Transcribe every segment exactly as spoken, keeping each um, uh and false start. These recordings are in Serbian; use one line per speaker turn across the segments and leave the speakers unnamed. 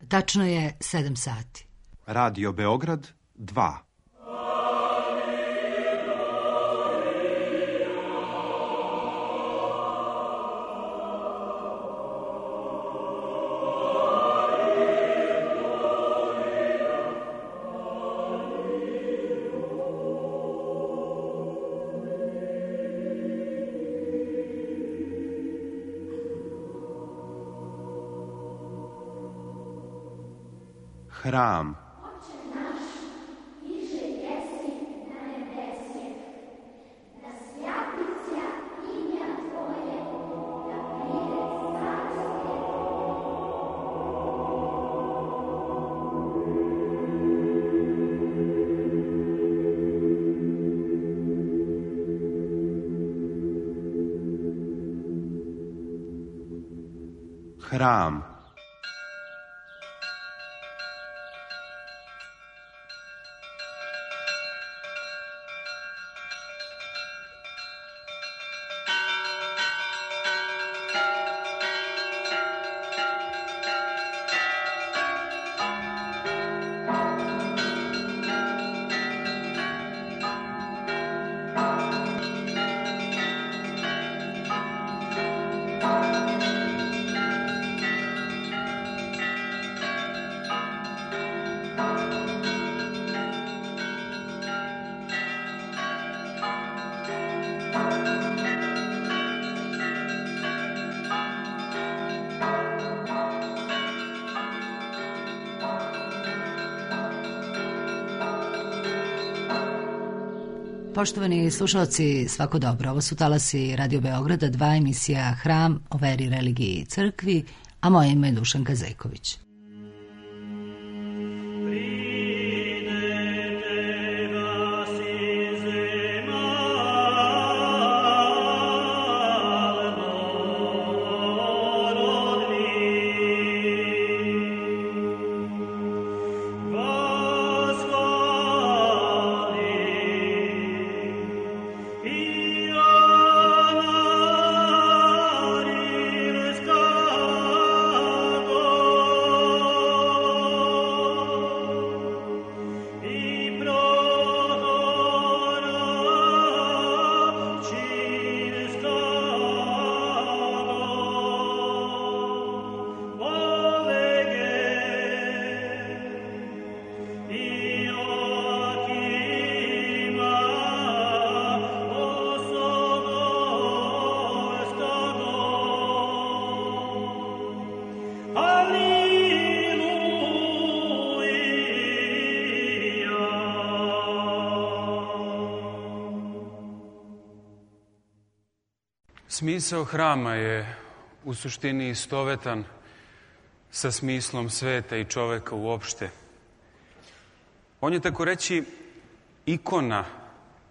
Tačno je sedam sati.
Radio Beograd dva. Hram. Hram.
Poštovani slušalci, svako dobro. Ovo su talasi Radio Beograda, dva, emisija Hram o veri, religiji i crkvi, a moje ime je Dušanka Zejković.
Smisao hrama je u suštini istovetan sa smislom sveta i čoveka uopšte. On je, tako reći, ikona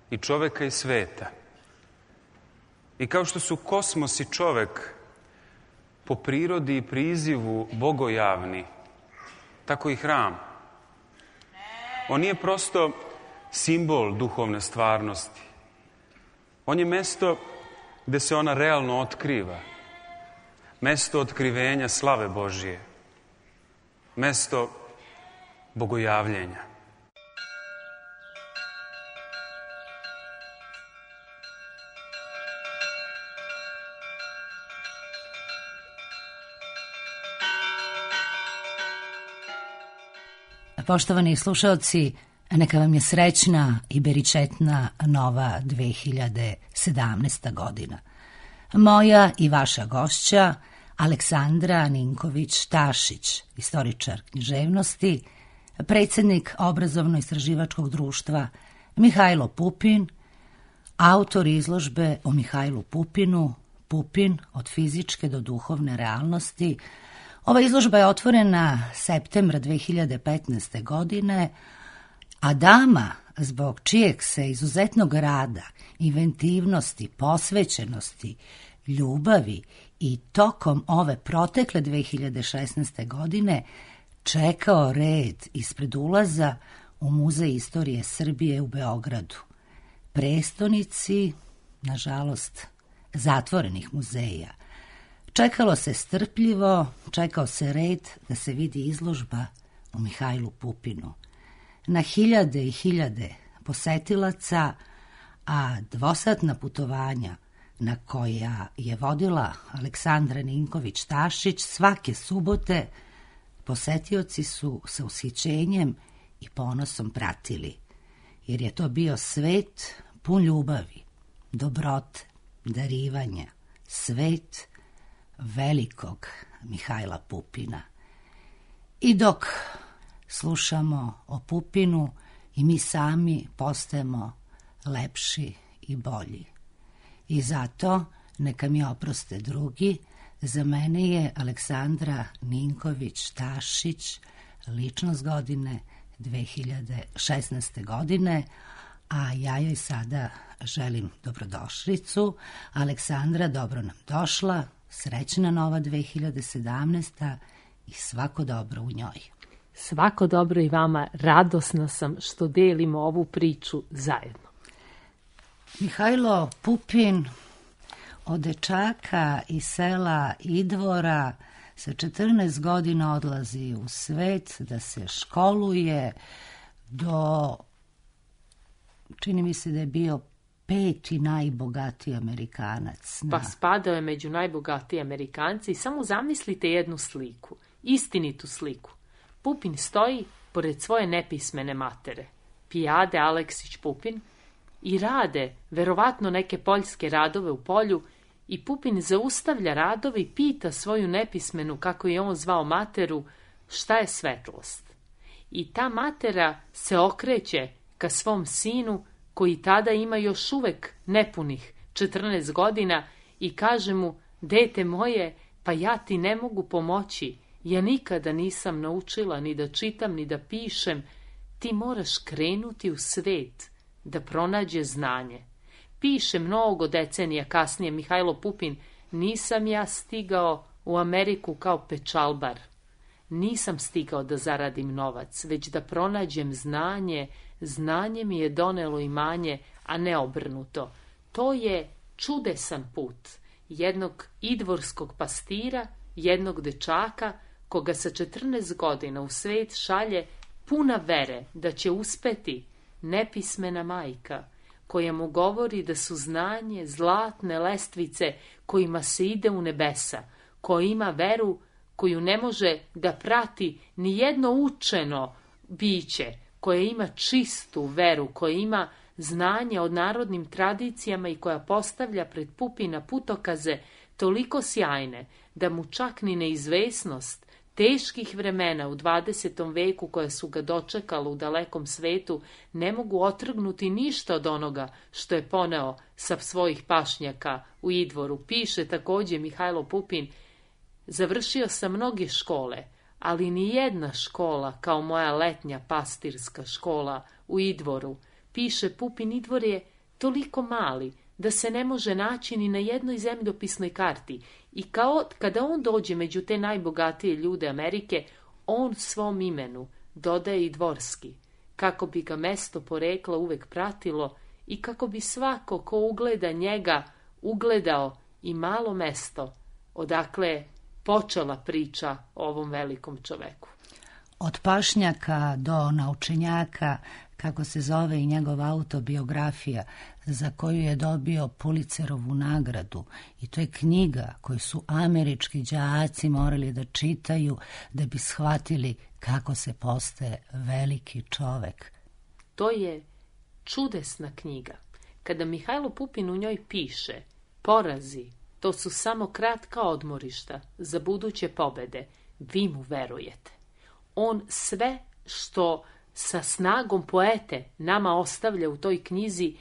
i čoveka i sveta. I kao što su kosmos i čovek po prirodi i prizivu bogojavni, tako i hram. On nije prosto simbol duhovne stvarnosti. On je mesto gde se ona realno otkriva. Mesto otkrivenja slave Božije. Mesto bogojavljenja.
Poštovani slušalci, neka vam je srećna i beričetna nova dve hiljade sedamnaesta. godina. Moja i vaša gošća, Aleksandra Ninković-Tašić, istoričar književnosti, predsjednik Obrazovno-istraživačkog društva Mihajlo Pupin, autor izložbe o Mihajlu Pupinu, Pupin od fizičke do duhovne realnosti. Ova izložba je otvorena septembra dve hiljade petnaeste. godine, a dama zbog čijeg se izuzetnog rada, inventivnosti, posvećenosti, ljubavi i tokom ove protekle dve hiljade šesnaeste. godine čekao red ispred ulaza u Muzej istorije Srbije u Beogradu, prestonici, nažalost, zatvorenih muzeja, Čekalo se strpljivo, čekao se red da se vidi izložba u Mihajlu Pupinu. Na hiljade i hiljade posetilaca, a dvosatna putovanja na koja je vodila Aleksandra Ninković-Tašić svake subote, posetioci su sa ushićenjem i ponosom pratili, jer je to bio svet pun ljubavi, dobrote, darivanja, svet velikog Mihajla Pupina. I dok slušamo o Pupinu, i mi sami postajemo lepši i bolji. I zato, neka mi oproste drugi, za mene je Aleksandra Ninković-Tašić ličnost godine dve hiljade šesnaeste. godine, a ja joj sada želim dobrodošlicu. Aleksandra, dobro nam došla, srećna nova dve hiljade sedamnaesta. i svako dobro u njoj.
Svako dobro i vama, radosna sam što delimo ovu priču zajedno.
Mihajlo Pupin od dečaka iz sela Idvora sa četrnaest godina odlazi u svet da se školuje do, čini mi se da je bio peti najbogatiji Amerikanac.
Pa spadao je među najbogatiji Amerikanci i samo zamislite jednu sliku, istinitu sliku. Pupin stoji pored svoje nepismene matere, Pijade Aleksić Pupin, i rade verovatno neke poljske radove u polju, i Pupin zaustavlja radove i pita svoju nepismenu, kako je on zvao materu, šta je svetlost. I ta matera se okreće ka svom sinu, koji tada ima još uvek nepunih četrnaest godina, i kaže mu, dete moje, pa ja ti ne mogu pomoći, ja nikada nisam naučila ni da čitam ni da pišem, ti moraš krenuti u svet da pronađe znanje. Piše mnogo decenija kasnije Mihajlo Pupin, nisam ja stigao u Ameriku kao pečalbar. Nisam stigao da zaradim novac, već da pronađem znanje, znanje mi je donelo imanje, a ne obrnuto. To je čudesan put jednog idvorskog pastira, jednog dečaka, koga sa četrnaest godina u svet šalje puna vere da će uspeti nepismena majka, koja mu govori da su znanje zlatne lestvice kojima se ide u nebesa, koja ima veru koju ne može da prati ni jedno učeno biće, koja ima čistu veru, koja ima znanje o narodnim tradicijama i koja postavlja pred Pupina putokaze toliko sjajne da mu čak ni neizvesnost teških vremena u dvadesetom veku koja su ga dočekala u dalekom svetu ne mogu otrgnuti ništa od onoga što je poneo sa svojih pašnjaka u Idvoru. Piše također Mihajlo Pupin, završio sam mnoge škole, ali ni jedna škola kao moja letnja pastirska škola u Idvoru. Piše Pupin, Idvor je toliko mali da se ne može naći ni na jednoj zemljopisnoj karti. I kao, kada on dođe među te najbogatije ljude Amerike, on svom imenu dodaje i dvorski, kako bi ga mesto porekla uvek pratilo i kako bi svako ko ugleda njega ugledao i malo mesto odakle počela priča o ovom velikom čoveku.
Od pašnjaka do naučenjaka, kako se zove i njegova autobiografija, za koju je dobio Pulitzerovu nagradu. I to je knjiga koju su američki đaci morali da čitaju da bi shvatili kako se postaje veliki čovek.
To je čudesna knjiga. Kada Mihajlo Pupin u njoj piše, porazi, to su samo kratka odmorišta za buduće pobede, vi mu verujete. On sve što sa snagom poete nama ostavlja u toj knjizi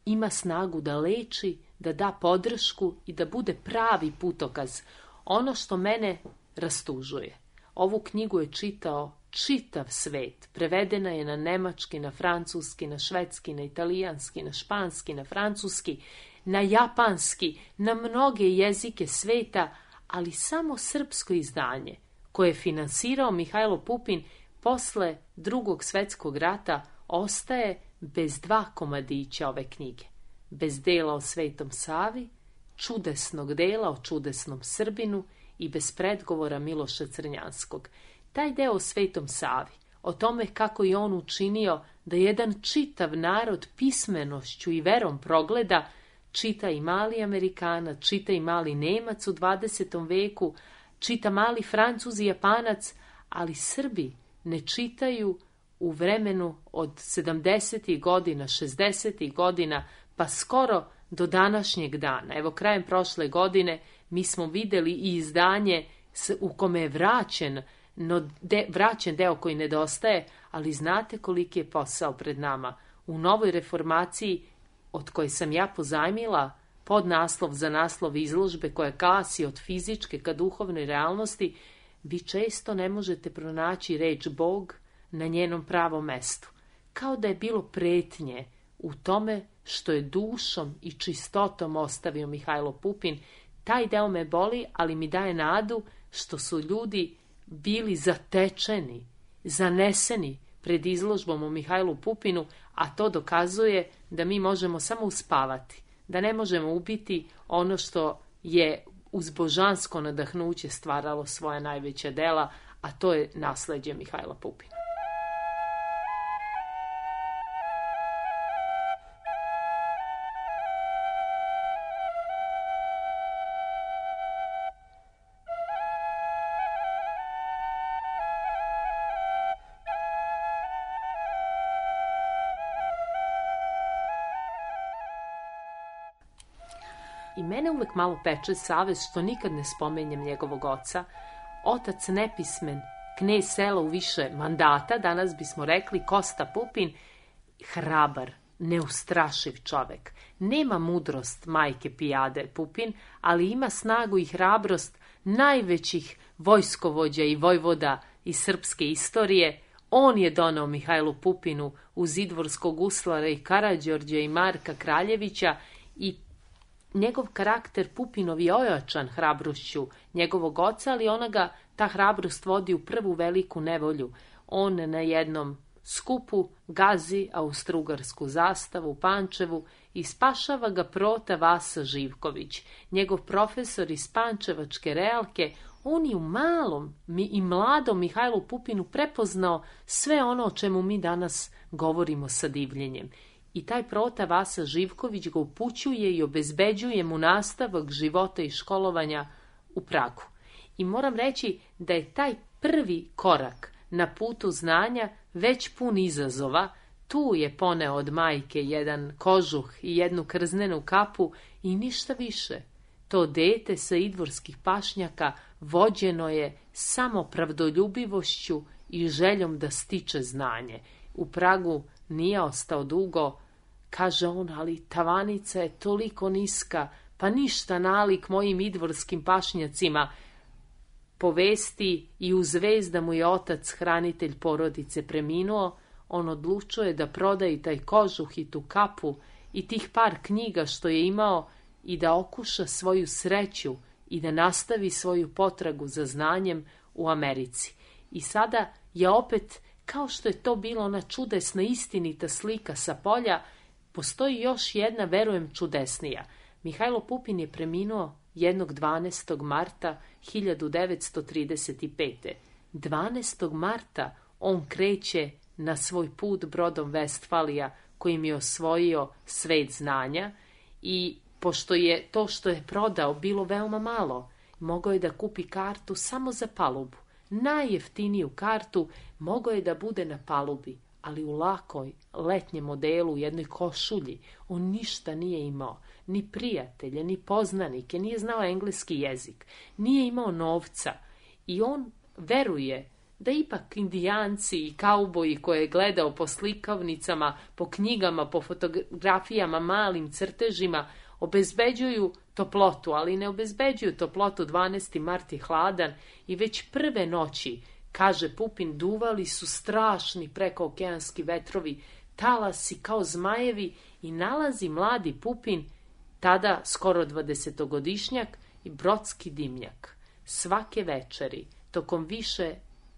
ima snagu da leči, da da podršku i da bude pravi putokaz. Ono što mene rastužuje. Ovu knjigu je čitao čitav svet. Prevedena je na nemački, na francuski, na švedski, na italijanski, na španski, na francuski, na japanski, na mnoge jezike sveta, ali samo srpsko izdanje, koje je finansirao Mihajlo Pupin posle Drugog svetskog rata, ostaje bez dva komadića ove knjige. Bez dela o Svetom Savi čudesnog dela o čudesnom Srbinu i bez predgovora Miloša Crnjanskog. Taj deo o Svetom Savi, o tome kako je on učinio da jedan čitav narod pismenošću i verom progleda, čita i mali Amerikanac, čita i mali Nemac u dvadesetom veku, čita mali Francuz i Japanac, ali Srbi ne čitaju u vremenu od sedamdesetih godina, šezdesetih godina, pa skoro do današnjeg dana. Evo, krajem prošle godine mi smo videli i izdanje u kome je vraćen, no de, vraćen deo koji nedostaje, ali znate koliki je posao pred nama. U novoj reformaciji, od koje sam ja pozajmila pod naslov za naslov izložbe koja glasi od fizičke ka duhovnoj realnosti, vi često ne možete pronaći reč Bog na njenom pravom mestu. Kao da je bilo pretnje u tome što je dušom i čistotom ostavio Mihajlo Pupin. Taj deo me boli, ali mi daje nadu što su ljudi bili zatečeni, zaneseni pred izložbom o Mihajlu Pupinu, a to dokazuje da mi možemo samo uspavati, da ne možemo ubiti ono što je uz božansko nadahnuće stvaralo svoja najveća dela, a to je nasleđe Mihajla Pupina. I mene uvek malo peče savest što nikad ne spomenjem njegovog oca. Otac nepismen, knez sela u više mandata, danas bismo rekli Kosta Pupin, hrabar, neustrašiv čovek. Nema mudrost majke Pijade Pupin, ali ima snagu i hrabrost najvećih vojskovođa i vojvoda iz srpske istorije. On je donao Mihajlu Pupinu uz idvorskog guslara i Karađorđa i Marka Kraljevića i njegov karakter Pupinov je ojačan hrabrošću njegovog oca, ali ona ga, ta hrabrost vodi u prvu veliku nevolju. On na jednom skupu gazi austrougarsku zastavu u Pančevu i spašava ga prota Vasa Živković. Njegov profesor iz Pančevačke realke, on je u malom i mladom Mihajlu Pupinu prepoznao sve ono o čemu mi danas govorimo sa divljenjem. I taj prota Vasa Živković ga upućuje i obezbeđuje mu nastavak života i školovanja u Pragu. I moram reći da je taj prvi korak na putu znanja već pun izazova. Tu je poneo od majke jedan kožuh i jednu krznenu kapu i ništa više. To dete sa idvorskih pašnjaka vođeno je samo pravdoljubivošću i željom da stiče znanje. U Pragu nije ostao dugo. Kaže on, ali tavanica je toliko niska, pa ništa nalik mojim idvorskim pašnjacima. Po vesti i u zvez da mu je otac, hranitelj porodice, preminuo, on odlučuje da proda i taj kožuh i tu kapu i tih par knjiga što je imao i da okuša svoju sreću i da nastavi svoju potragu za znanjem u Americi. I sada je opet, kao što je to bila ona čudesna istinita slika sa polja, postoji još jedna, verujem, čudesnija. Mihajlo Pupin je preminuo jednog dvanaestog marta hiljadu devetsto trideset pete. dvanaestog marta on kreće na svoj put brodom Vestfalija kojim je osvojio svet znanja i pošto je to što je prodao bilo veoma malo, mogao je da kupi kartu samo za palubu. Najjeftiniju kartu mogao je da bude na palubi, ali u lakoj letnjem modelu u jednoj košulji. On ništa nije imao, ni prijatelje, ni poznanike, nije znao engleski jezik, nije imao novca i on veruje da ipak indijanci i kauboji koje je gledao po slikavnicama, po knjigama, po fotografijama, malim crtežima, obezbeđuju toplotu, ali ne obezbeđuju toplotu. dvanaesti mart je hladan i već prve noći, kaže Pupin, duvali su strašni prekookeanski vetrovi, talasi kao zmajevi i nalazi mladi Pupin, tada skoro dvadesetogodišnjak, i brodski dimnjak. Svake večeri, tokom više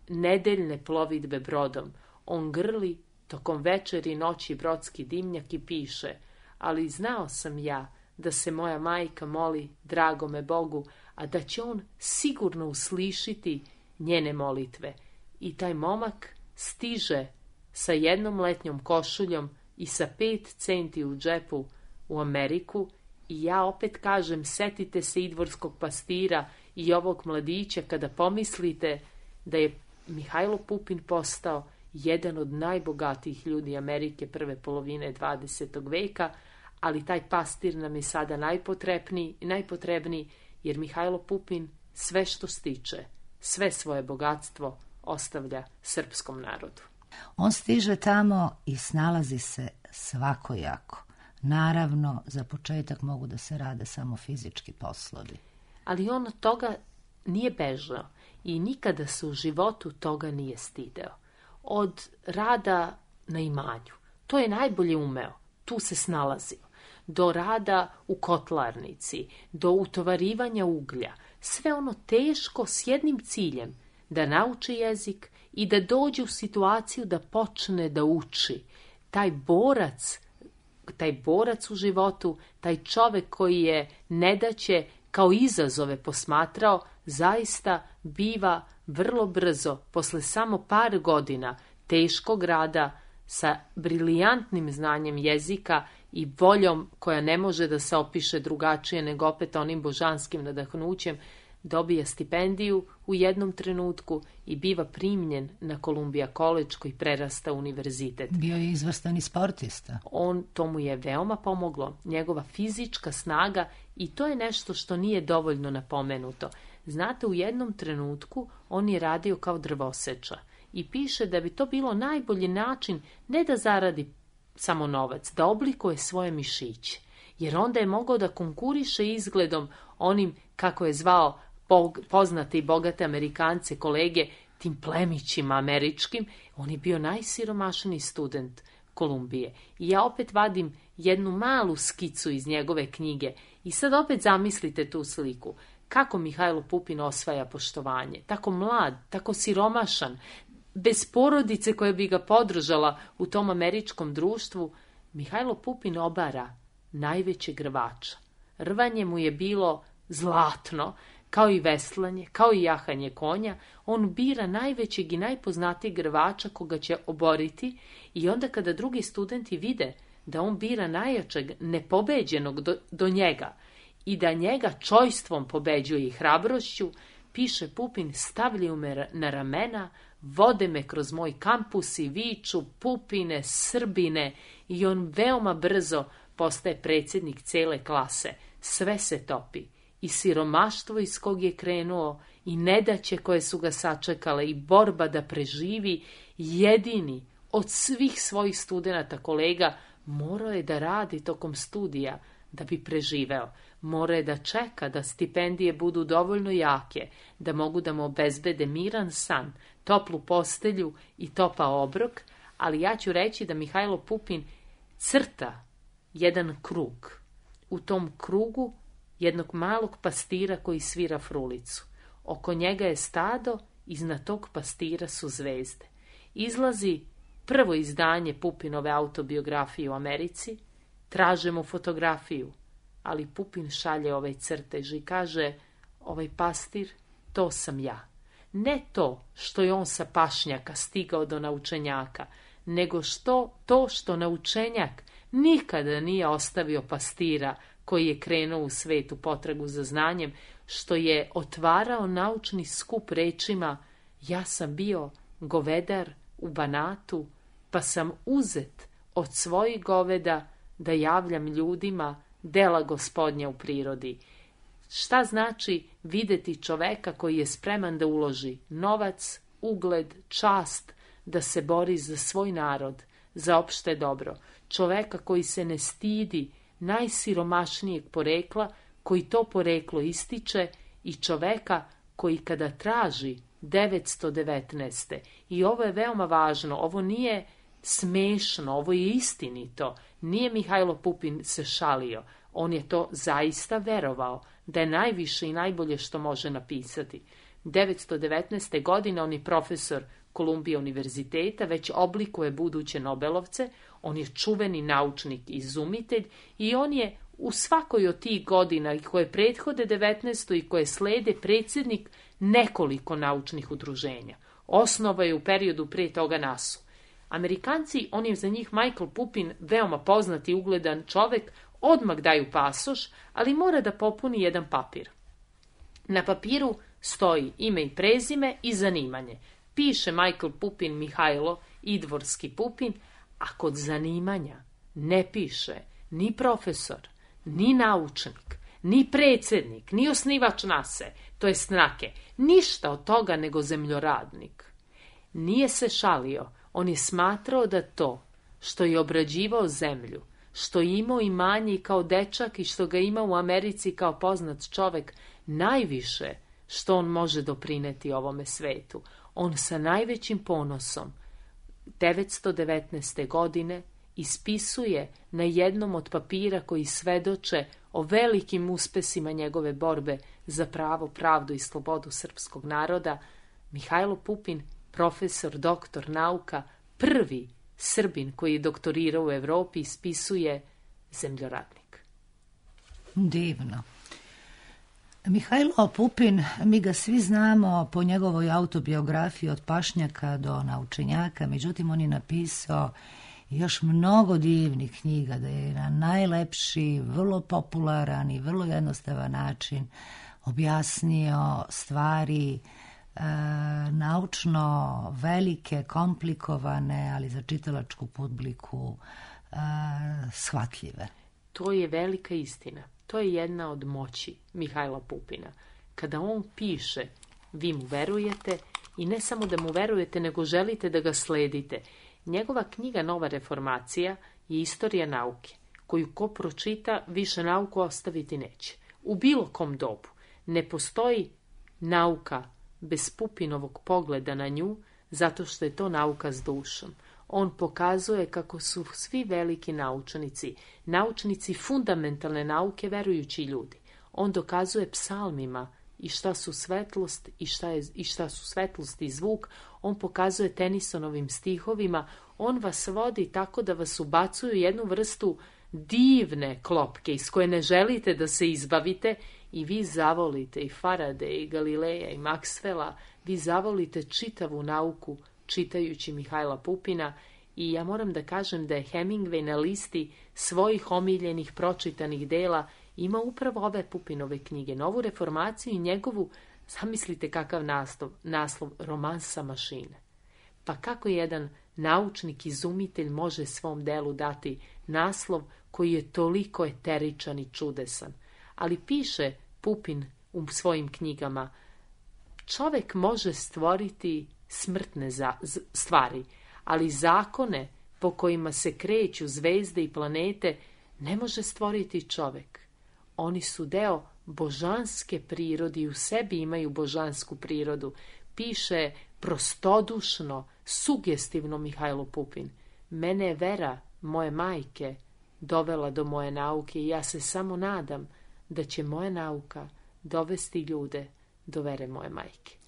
nedeljne plovidbe brodom, on grli tokom večeri noći brodski dimnjak i piše: ali znao sam ja da se moja majka moli dragome Bogu, a da će on sigurno uslišiti njene molitve. I taj momak stiže sa jednom letnjom košuljom i sa pet centi u džepu u Ameriku i ja opet kažem, setite se idvorskog pastira i ovog mladića kada pomislite da je Mihajlo Pupin postao jedan od najbogatijih ljudi Amerike prve polovine dvadesetog veka, ali taj pastir nam je sada najpotrebniji, najpotrebniji jer Mihajlo Pupin sve što stiče, sve svoje bogatstvo ostavlja srpskom narodu.
On stiže tamo i snalazi se svakojako. Naravno, za početak mogu da se rade samo fizički poslovi.
Ali on od toga nije bežao i nikada se u životu toga nije stideo. Od rada na imanju, to je najbolje umeo, tu se snalazio, do rada u kotlarnici, do utovarivanja uglja, sve ono teško s jednim ciljem, da nauči jezik i da dođe u situaciju da počne da uči. Taj borac, taj borac u životu, taj čovek koji je nedaće kao izazove posmatrao, zaista biva vrlo brzo, posle samo par godina teškog rada, sa brilijantnim znanjem jezika i voljom koja ne može da se opiše drugačije nego opet onim božanskim nadahnućem, dobija stipendiju u jednom trenutku i biva primljen na Columbia College koji prerasta univerzitet.
Bio je izvrstan i sportista.
On, to mu je veoma pomoglo, njegova fizička snaga i to je nešto što nije dovoljno napomenuto. Znate, u jednom trenutku on je radio kao drvoseča i piše da bi to bilo najbolji način ne da zaradi samo novac, da oblikuje svoje mišiće, jer onda je mogao da konkuriše izgledom onim, kako je zvao poznate i bogate Amerikance, kolege, tim plemićima američkim. On je bio najsiromašniji student Kolumbije. I ja opet vadim jednu malu skicu iz njegove knjige i sad opet zamislite tu sliku. Kako Mihajlo Pupin osvaja poštovanje, tako mlad, tako siromašan, bez porodice koja bi ga podržala u tom američkom društvu. Mihajlo Pupin obara najvećeg rvača. Rvanje mu je bilo zlatno, kao i veslanje, kao i jahanje konja. On bira najvećeg i najpoznatijeg rvača koga će oboriti i onda kada drugi studenti vide da on bira najjačeg nepobeđenog do, do njega i da njega čojstvom pobeđuje i hrabrošću, piše Pupin, stavljaju me na ramena, vode me kroz moj kampus i viču Pupine, Srbine, i on veoma brzo postaje predsjednik cele klase. Sve se topi. I siromaštvo iz kog je krenuo, i nedaće koje su ga sačekale, i borba da preživi, jedini od svih svojih studenata kolega morao je da radi tokom studija da bi preživeo. Mora je da čeka da stipendije budu dovoljno jake, da mogu da mu obezbede miran san, toplu postelju i topao obrok, ali ja ću reći da Mihajlo Pupin crta jedan krug. U tom krugu jednog malog pastira koji svira frulicu. Oko njega je stado, iznad tog pastira su zvezde. Izlazi prvo izdanje Pupinove autobiografije u Americi, traže mu fotografiju, ali Pupin šalje ovaj crtež i kaže, ovaj pastir, to sam ja. Ne to što je on sa pašnjaka stigao do naučenjaka, nego što to što naučenjak nikada nije ostavio pastira koji je krenuo u svetu potragu za znanjem, što je otvarao naučni skup rečima, ja sam bio govedar u Banatu, pa sam uzet od svojih goveda da javljam ljudima dela Gospodnja u prirodi. Šta znači videti čoveka koji je spreman da uloži novac, ugled, čast, da se bori za svoj narod, za opšte dobro. Čoveka koji se ne stidi najsiromašnijeg porekla, koji to poreklo ističe, i čoveka koji kada traži devetsto devetnaeste. I ovo je veoma važno, ovo nije smešno, ovo je istinito. Nije Mihajlo Pupin se šalio, on je to zaista verovao, da je najviše i najbolje što može napisati. devetsto devetnaeste. godine on je profesor Kolumbija univerziteta, već oblikuje buduće Nobelovce. On je čuveni naučnik i izumitelj i on je u svakoj od tih godina koje prethode devetnaestoj i koje slede predsjednik nekoliko naučnih udruženja. Osnova je u periodu prije toga nasu. Amerikanci, on je za njih Michael Pupin veoma poznat i ugledan čovek, odmah daju pasoš, ali mora da popuni jedan papir. Na papiru stoji ime i prezime i zanimanje. Piše Michael Pupin Mihajlo Idvorski Pupin, a kod zanimanja ne piše ni profesor, ni naučnik, ni predsjednik, ni osnivač nase, to je snake, ništa od toga nego zemljoradnik. Nije se šalio, on je smatrao da to što je obrađivao zemlju, što je imao imanje i kao dečak i što ga ima u Americi kao poznat čovek, najviše što on može doprineti ovome svetu. On sa najvećim ponosom devetsto devetnaeste. godine ispisuje na jednom od papira koji svedoče o velikim uspesima njegove borbe za pravo, pravdu i slobodu srpskog naroda, Mihajlo Pupin, profesor, doktor nauka, prvi Srbin koji je doktorirao u Evropi, ispisuje zemljoradnik.
Divno. Mihajlo Pupin, mi ga svi znamo po njegovoj autobiografiji od pašnjaka do naučenjaka, međutim on je napisao još mnogo divnih knjiga, da je na najlepši, vrlo popularan i vrlo jednostavan način objasnio stvari e, naučno velike, komplikovane, ali za čitalačku publiku e, shvatljive.
To je velika istina. To je jedna od moći Mihajla Pupina. Kada on piše, vi mu verujete i ne samo da mu verujete, nego želite da ga sledite. Njegova knjiga Nova reformacija je istorija nauke, koju ko pročita više nauku ostaviti neće. U bilo kom dobu ne postoji nauka bez Pupinovog pogleda na nju, zato što je to nauka s dušom. On pokazuje kako su svi veliki naučnici, naučnici fundamentalne nauke, verujući ljudi. On dokazuje psalmima i šta su svetlost i šta, je, i šta su svetlost i zvuk. On pokazuje Tenisonovim stihovima. On vas vodi tako da vas ubacuju jednu vrstu divne klopke iz koje ne želite da se izbavite i vi zavolite i Faradaye i Galileja i Maxwella. Vi zavolite čitavu nauku čitajući Mihajla Pupina i ja moram da kažem da je Hemingway na listi svojih omiljenih pročitanih dela ima upravo ove Pupinove knjige, Novu reformaciju i njegovu, zamislite kakav naslov, naslov Romansa mašine. Pa kako jedan naučnik, izumitelj može svom delu dati naslov koji je toliko eteričan i čudesan. Ali piše Pupin u svojim knjigama, čovek može stvoriti smrtne za, z, stvari, ali zakone po kojima se kreću zvezde i planete ne može stvoriti čovek. Oni su deo božanske prirode i u sebi imaju božansku prirodu. Piše prostodušno, sugestivno Mihajlo Pupin. Mene je vera moje majke dovela do moje nauke i ja se samo nadam da će moja nauka dovesti ljude do vere moje majke.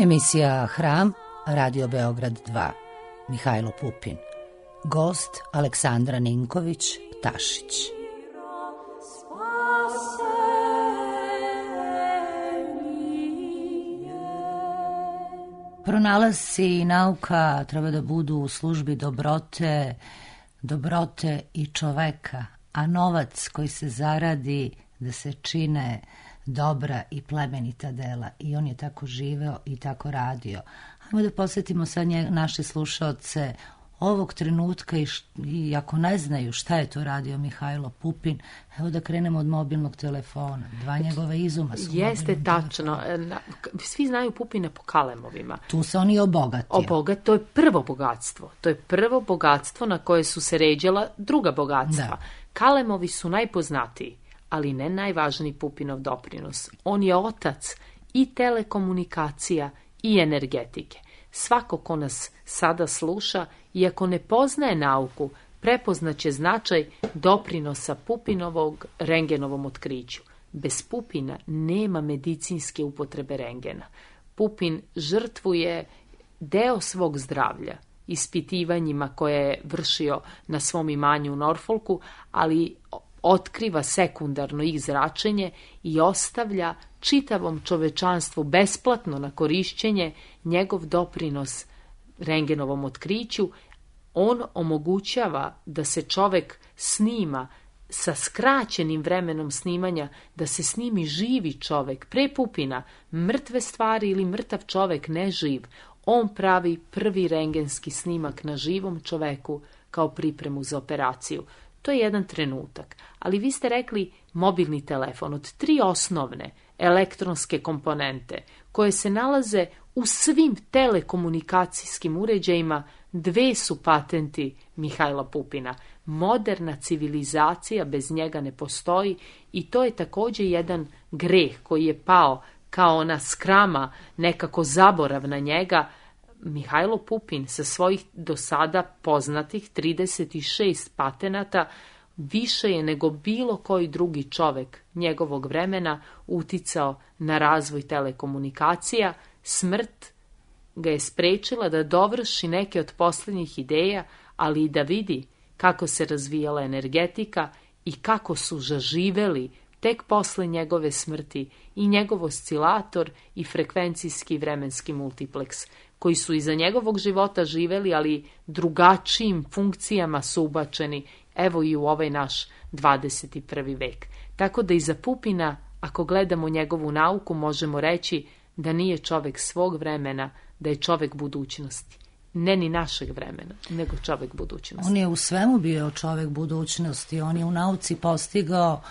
Emisija Hram, Radio Beograd dva, Mihajlo Pupin. Gost Aleksandra Ninković, Tašić. Pronalasci i nauka treba da budu u službi dobrote, dobrote i čoveka, a novac koji se zaradi da se čine dobra i plemenita dela. I on je tako živeo i tako radio. Hajmo da posjetimo sad nje, naše slušaoce ovog trenutka i, š, i ako ne znaju šta je to radio Mihajlo Pupin, evo da krenemo od mobilnog telefona. Dva njegova izuma su
Jeste tačno. Na, svi znaju Pupina po kalemovima.
Tu se on i obogatio.
Obogat, to je prvo bogatstvo. To je prvo bogatstvo na koje su se ređala druga bogatstva. Da. Kalemovi su najpoznatiji, ali ne najvažniji Pupinov doprinos. On je otac i telekomunikacija i energetike. Svako ko nas sada sluša, iako ne poznaje nauku, prepoznaće značaj doprinosa Pupinovog rengenovom otkriću. Bez Pupina nema medicinske upotrebe rengena. Pupin žrtvuje deo svog zdravlja ispitivanjima koje je vršio na svom imanju u Norfolku, ali otkriva sekundarno ih zračenje i ostavlja čitavom čovečanstvu besplatno na korišćenje njegov doprinos rengenovom otkriću. On omogućava da se čovek snima sa skraćenim vremenom snimanja, da se snimi živi čovek. Pre Pupina mrtve stvari ili mrtav čovek, ne živ. On pravi prvi rengenski snimak na živom čoveku kao pripremu za operaciju. To je jedan trenutak. Ali vi ste rekli mobilni telefon. Od tri osnovne elektronske komponente koje se nalaze u svim telekomunikacijskim uređajima, dve su patenti Mihajla Pupina. Moderna civilizacija bez njega ne postoji i to je također jedan greh koji je pao kao ona skrama, nekako zaborav na njega. Mihajlo Pupin sa svojih do sada poznatih trideset šest patenata više je nego bilo koji drugi čovek njegovog vremena uticao na razvoj telekomunikacija. Smrt ga je sprečila da dovrši neke od posljednjih ideja, ali i da vidi kako se razvijala energetika i kako su zaživeli tek posle njegove smrti i njegov oscilator i frekvencijski vremenski multipleks, koji su iza njegovog života živeli, ali drugačijim funkcijama su ubačeni, evo i u ovaj naš dvadeset prvi vek. Tako da iza Pupina, ako gledamo njegovu nauku, možemo reći da nije čovek svog vremena, da je čovek budućnosti. Ne ni našeg vremena, nego čovek budućnosti.
On je u svemu bio čovek budućnosti. On je u nauci postigao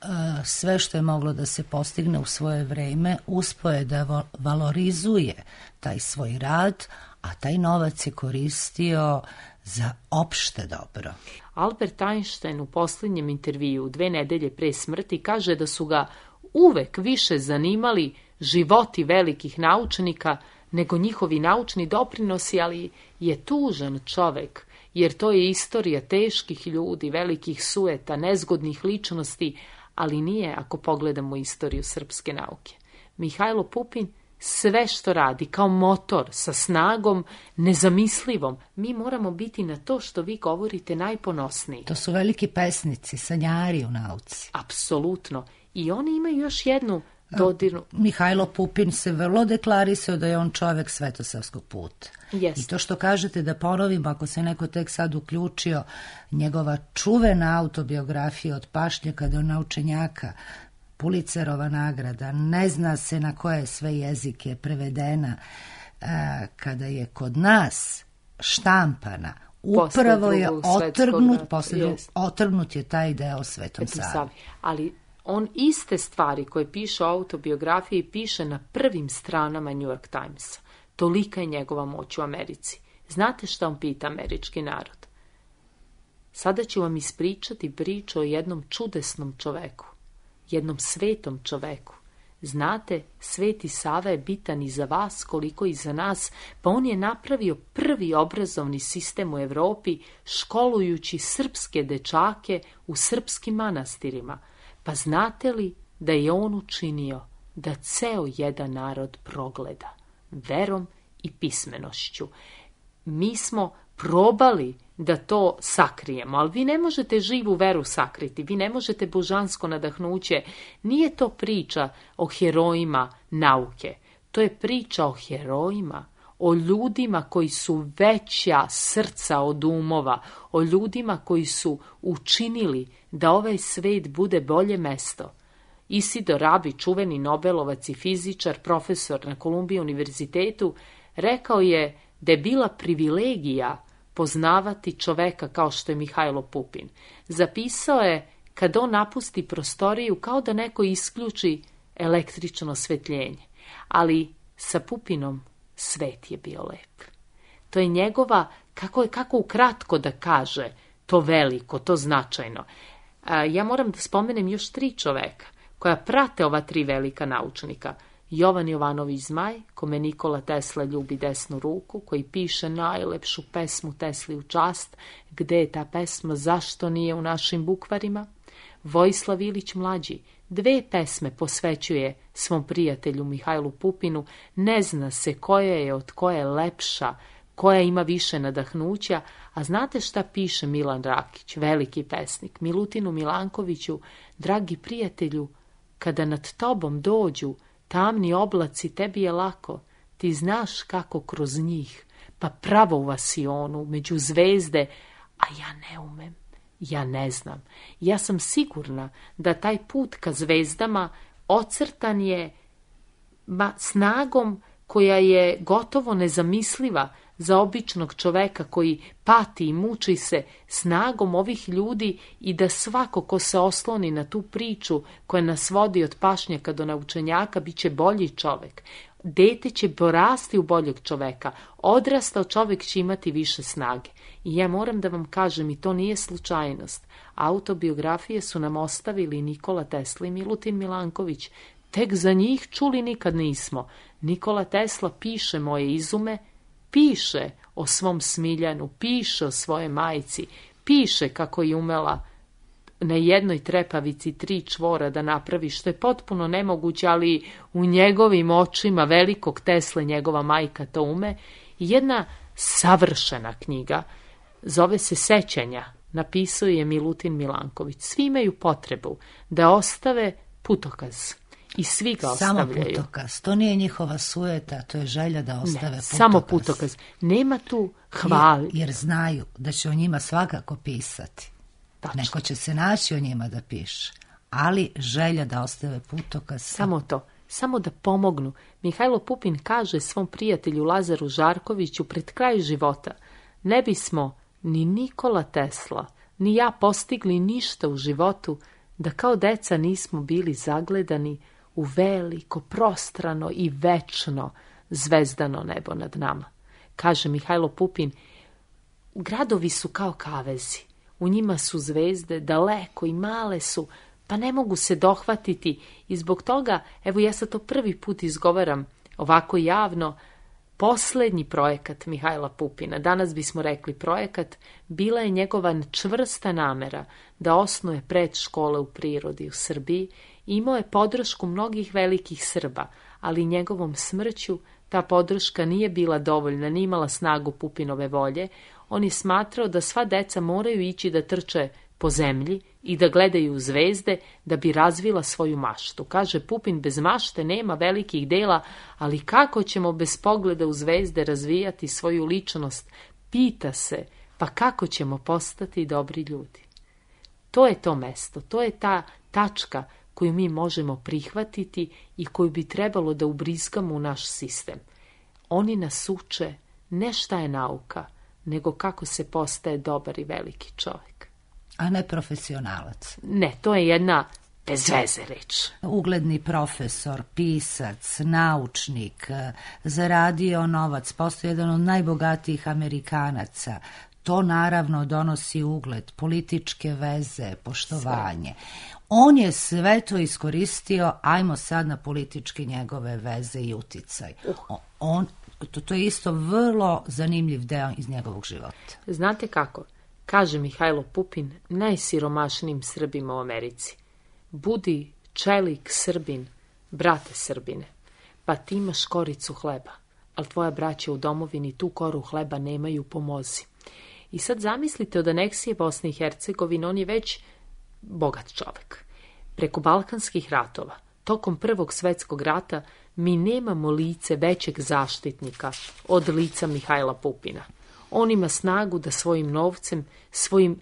uh, sve što je moglo da se postigne u svoje vreme. Uspeo je da valorizuje taj svoj rad, a taj novac je koristio za opšte dobro.
Albert Einstein u posljednjem intervju dve nedelje pre smrti kaže da su ga uvek više zanimali životi velikih naučnika nego njihovi naučni doprinosi, ali je tužan čovek, jer to je istorija teških ljudi, velikih sueta, nezgodnih ličnosti, ali nije ako pogledamo istoriju srpske nauke. Mihajlo Pupin sve što radi kao motor sa snagom nezamislivom, mi moramo biti na to što vi govorite najponosniji.
To su veliki pesnici, sanjari u nauci.
Apsolutno. I oni imaju još jednu dodirnu.
Mihajlo Pupin se vrlo deklarisao da je on čovek svetosavskog puta.
Yes.
I to što kažete, da ponovim, ako se neko tek sad uključio, njegova čuvena autobiografija Od pašnjaka do naučenjaka, Pulitzerova nagrada, ne zna se na koje sve jezike prevedena, kada je kod nas štampana, upravo je otrgnut, posle otrgnut je taj deo Svetom Savi.
Ali on iste stvari koje piše o autobiografiji piše na prvim stranama New York Timesa. Tolika je njegova moć u Americi. Znate šta on pita američki narod? Sada ću vam ispričati priču o jednom čudesnom čoveku, jednom svetom čoveku. Znate, Sveti Sava je bitan i za vas koliko i za nas, pa on je napravio prvi obrazovni sistem u Evropi, školujući srpske dečake u srpskim manastirima. Pa znate li da je on učinio da ceo jedan narod progleda verom i pismenošću? Mi smo probali da to sakrijemo, ali vi ne možete živu veru sakriti, vi ne možete božansko nadahnuće. Nije to priča o herojima nauke, to je priča o herojima, o ljudima koji su veća srca od umova, o ljudima koji su učinili da ovaj svet bude bolje mesto. Isidor Rabi, čuveni Nobelovac i fizičar, profesor na Columbia univerzitetu, rekao je da je bila privilegija poznavati čoveka kao što je Mihajlo Pupin. Zapisao je kad on napusti prostoriju kao da neko isključi električno osvetljenje. Ali sa Pupinom svet je bio lep. To je njegova, kako je kako ukratko da kaže, to veliko, to značajno. A, ja moram da spomenem još tri čoveka koja prate ova tri velika naučnika. Jovan Jovanović Zmaj, kome Nikola Tesla ljubi desnu ruku, koji piše najlepšu pesmu Tesli u čast. Gde je ta pesma, zašto nije u našim bukvarima? Vojislav Ilić Mlađi dve pesme posvećuje svom prijatelju Mihajlu Pupinu. Ne zna se koja je od koje lepša, koja ima više nadahnuća, a znate šta piše Milan Rakić, veliki pesnik, Milutinu Milankoviću: dragi prijatelju, kada nad tobom dođu tamni oblaci, tebi je lako, ti znaš kako kroz njih, pa pravo u vasionu, među zvezde, a ja ne umem, ja ne znam. Ja sam sigurna da taj put ka zvezdama ocrtan je ma, snagom koja je gotovo nezamisliva za običnog čoveka koji pati i muči se, snagom ovih ljudi, i da svako ko se osloni na tu priču koja nas vodi od pašnjaka do naučenjaka bit će bolji čovek. Dete će porasti u boljeg čoveka, odrastao čovek će imati više snage. I ja moram da vam kažem, i to nije slučajnost, autobiografije su nam ostavili Nikola Tesla i Milutin Milanković. Tek za njih čuli nikad nismo. Nikola Tesla piše moje izume, piše o svom Smiljanu, piše o svojoj majci, piše kako je umela na jednoj trepavici tri čvora da napravi, što je potpuno nemoguće, ali u njegovim očima velikog Tesle njegova majka to ume. Jedna savršena knjiga, zove se Sećanja, napisao je Milutin Milanković. Svi imaju potrebu da ostave putokaz. I svi ga ostavljaju.
Samo putokaz, to nije njihova sujeta, to je želja da ostave
ne,
putokaz.
Samo putokaz, nema tu hvali.
Jer, jer znaju da će o njima svakako pisati. Tačno. Neko će se naći o njima da piše, ali želja da ostave putokaz.
Samo to, samo da pomognu. Mihajlo Pupin kaže svom prijatelju Lazaru Žarkoviću pred kraj života: ne bismo ni Nikola Tesla, ni ja postigli ništa u životu da kao deca nismo bili zagledani u veliko, prostrano i večno zvezdano nebo nad nama. Kaže Mihajlo Pupin, gradovi su kao kavezi, u njima su zvezde, daleko i male su, pa ne mogu se dohvatiti, i zbog toga, evo ja sad to prvi put izgovaram ovako javno, poslednji projekat Mihajla Pupina, danas bismo rekli projekat, bila je njegova čvrsta namera da osnuje predškole u prirodi u Srbiji. Imao je podršku mnogih velikih Srba, ali njegovom smrću ta podrška nije bila dovoljna, nije imala snagu Pupinove volje. On je smatrao da sva deca moraju ići da trče po zemlji i da gledaju zvezde da bi razvila svoju maštu. Kaže Pupin, bez mašte nema velikih dela, ali kako ćemo bez pogleda u zvezde razvijati svoju ličnost? Pita se, pa kako ćemo postati dobri ljudi? To je to mesto, to je ta tačka koju mi možemo prihvatiti i koju bi trebalo da ubrizgamo u naš sistem. Oni nas uče ne šta je nauka, nego kako se postaje dobar i veliki čovjek.
A ne profesionalac.
Ne, to je jedna bez veze reč.
Ugledni profesor, pisac, naučnik, zaradio novac, postao jedan od najbogatijih Amerikanaca. To naravno donosi ugled, političke veze, poštovanje. Sve. On je sve to iskoristio, ajmo sad na političke njegove veze i uticaj. Uh. On, to, to je isto vrlo zanimljiv deo iz njegovog života.
Znate kako? Kaže Mihajlo Pupin najsiromašnijim Srbima u Americi: budi čelik Srbin, brate Srbine, pa ti imaš koricu hleba, ali tvoja braća u domovini tu koru hleba nemaju, pomozi. I sad zamislite, od aneksije Bosne i Hercegovine on je već bogat čovek. Preko balkanskih ratova, tokom Prvog svetskog rata, mi nemamo lice većeg zaštitnika od lica Mihajla Pupina. On ima snagu da svojim novcem, svojim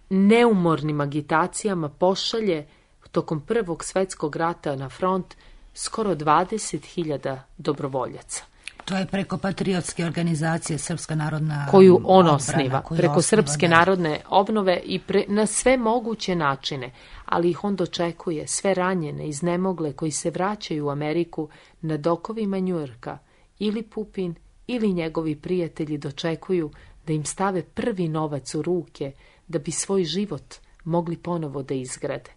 neumornim agitacijama pošalje tokom Prvog svetskog rata na front skoro dvadeset hiljada dobrovoljaca.
To je preko patriotske organizacije Srpska narodna
koju on
odbrana,
osniva,
koju
preko
osniva,
Srpske
da.
narodne obnove i pre, na sve moguće načine, ali ih on dočekuje, sve ranjene, iznemogle, koji se vraćaju u Ameriku na dokovima Njujorka, ili Pupin, ili njegovi prijatelji dočekuju da im stave prvi novac u ruke, da bi svoj život mogli ponovo da izgrade.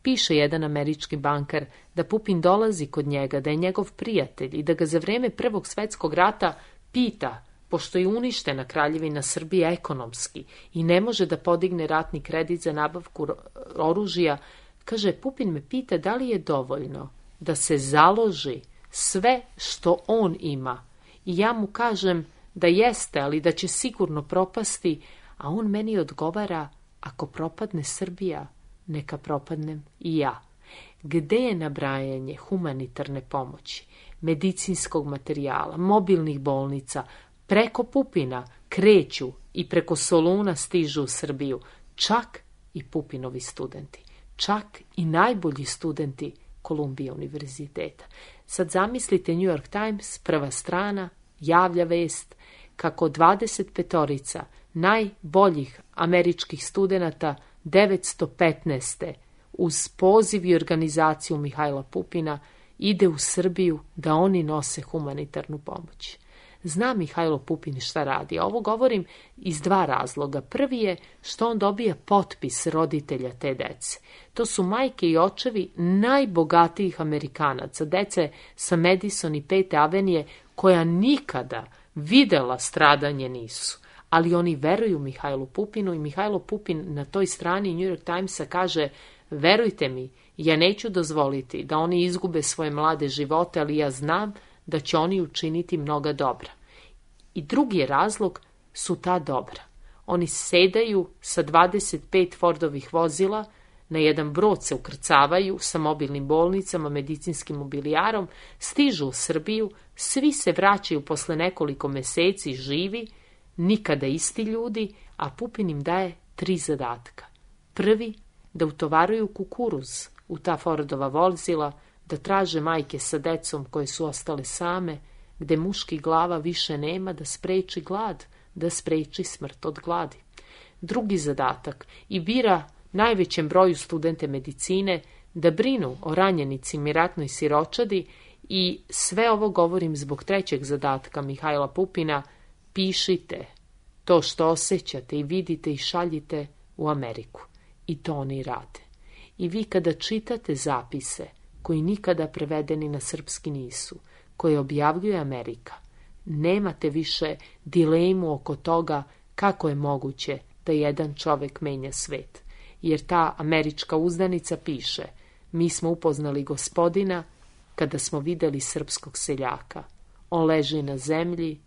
Piše jedan američki bankar da Pupin dolazi kod njega, da je njegov prijatelj i da ga za vreme Prvog svetskog rata pita, pošto je uništena Kraljevina Srbije ekonomski i ne može da podigne ratni kredit za nabavku oružja, kaže, Pupin me pita da li je dovoljno da se založi sve što on ima. I ja mu kažem da jeste, ali da će sigurno propasti, a on meni odgovara, ako propadne Srbija, neka propadnem i ja. Gde je nabrajanje humanitarne pomoći, medicinskog materijala, mobilnih bolnica, preko Pupina kreću i preko Soluna stižu u Srbiju, čak i Pupinovi studenti, čak i najbolji studenti Kolumbije univerziteta. Sad zamislite New York Times, prva strana, javlja vest kako dvadeset petorica najboljih američkih studenata devetsto petnaeste uz poziv i organizaciju Mihajla Pupina ide u Srbiju da oni nose humanitarnu pomoć. Zna Mihajlo Pupin šta radi, a ovo govorim iz dva razloga. Prvi je što on dobija potpis roditelja te dece. To su majke i očevi najbogatijih Amerikanaca, dece sa Madison i Pete avenije, koja nikada videla stradanje nisu. Ali oni veruju Mihajlu Pupinu i Mihajlo Pupin na toj strani New York Timesa kaže, verujte mi, ja neću dozvoliti da oni izgube svoje mlade živote, ali ja znam da će oni učiniti mnoga dobra. I drugi je razlog su ta dobra. Oni sedaju sa dvadeset pet Fordovih vozila, na jedan brod se ukrcavaju sa mobilnim bolnicama, medicinskim mobilijarom, stižu u Srbiju, svi se vraćaju posle nekoliko meseci živi, nikada isti ljudi, a Pupin im daje tri zadatka. Prvi, da utovaruju kukuruz u ta Fordova vozila, da traže majke sa decom koje su ostale same, gde muških glava više nema, da spreči glad, da spreči smrt od gladi. Drugi zadatak, i bira najvećem broju studente medicine da brinu o ranjenicima i ratnoj siročadi, i sve ovo govorim zbog trećeg zadatka Mihajla Pupina, pišite to što osjećate i vidite i šaljite u Ameriku. I to oni rade. I vi kada čitate zapise, koji nikada prevedeni na srpski nisu, koje objavljuje Amerika, nemate više dilemu oko toga kako je moguće da jedan čovek menja svet. Jer ta američka uzdanica piše, mi smo upoznali gospodina kada smo videli srpskog seljaka. On leži na zemlji,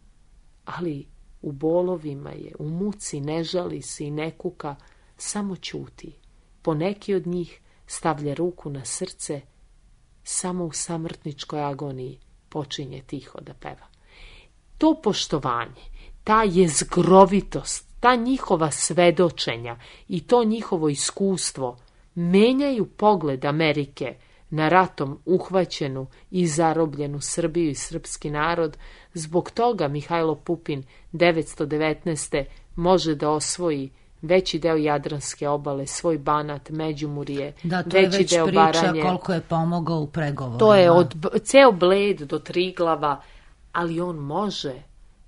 ali u bolovima je, u muci, ne žali se i ne kuka, samo ćuti. Poneki od njih stavlja ruku na srce, samo u samrtničkoj agoniji počinje tiho da peva. To poštovanje, ta jezgrovitost, ta njihova svedočenja i to njihovo iskustvo menjaju pogled Amerike na ratom uhvaćenu i zarobljenu Srbiju i srpski narod. Zbog toga Mihajlo Pupin devetsto devetnaeste može da osvoji veći deo Jadranske obale, svoj Banat, Međimurje,
da, to je
veći
već
deo
priča
Baranje.
Koliko je pomogao u pregovorima.
To je od ceo Bled do Triglava, ali on može,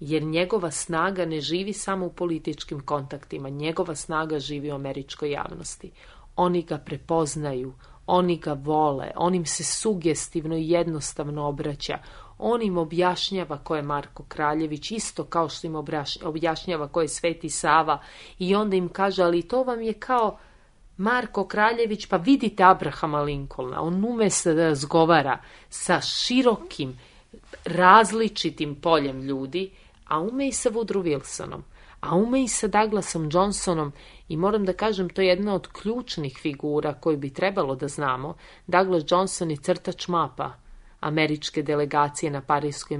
jer njegova snaga ne živi samo u političkim kontaktima, njegova snaga živi u američkoj javnosti. Oni ga prepoznaju, oni ga vole, on im se sugestivno i jednostavno obraća. On im objašnjava ko je Marko Kraljević, isto kao što im objašnjava ko je Sveti Sava, i onda im kaže, ali to vam je kao Marko Kraljević, pa vidite Abrahama Lincolna. On ume se da razgovara sa širokim, različitim poljem ljudi, a ume i sa Woodrow Wilsonom, a ume i sa Douglasom Johnsonom, i moram da kažem, to je jedna od ključnih figura koju bi trebalo da znamo. Douglas Johnson je crtač mapa američke delegacije na Parijskoj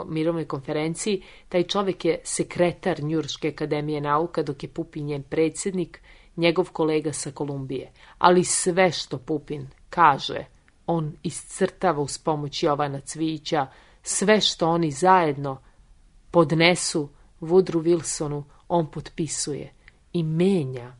mirovnoj konferenciji. Taj čovjek je sekretar Njujorške akademije nauka, dok je Pupin njen predsjednik, njegov kolega sa Kolumbije. Ali sve što Pupin kaže, on iscrtava uz pomoć Jovana Cvijića, sve što oni zajedno podnesu Woodrow Wilsonu, on potpisuje i menja